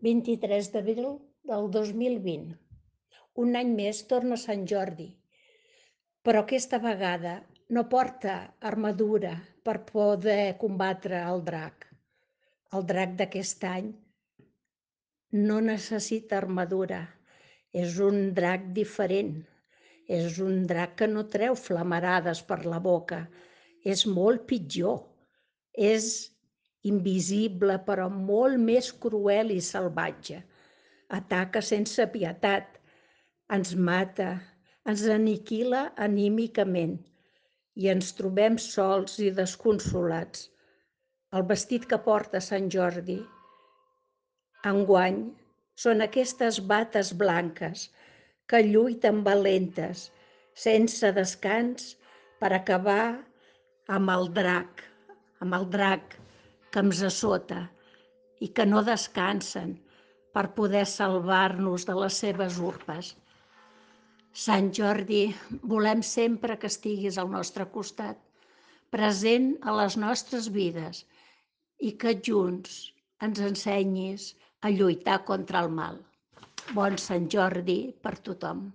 23 d'abril del 2020. Un any més torna Sant Jordi, però aquesta vegada no porta armadura per poder combatre el drac. El drac d'aquest any no necessita armadura. És un drac diferent. És un drac que no treu flamarades per la boca. És molt pitjor. És invisible, però molt més cruel i salvatge. Ataca sense pietat, ens mata, ens aniquila anímicament i ens trobem sols i desconsolats. El vestit que porta Sant Jordi enguany són aquestes bates blanques que lluiten valentes, sense descans, per acabar amb el drac que ens assota i que no descansen per poder salvar-nos de les seves urpes. Sant Jordi, volem sempre que estiguis al nostre costat, present a les nostres vides i que junts ens ensenyis a lluitar contra el mal. Bon Sant Jordi per tothom.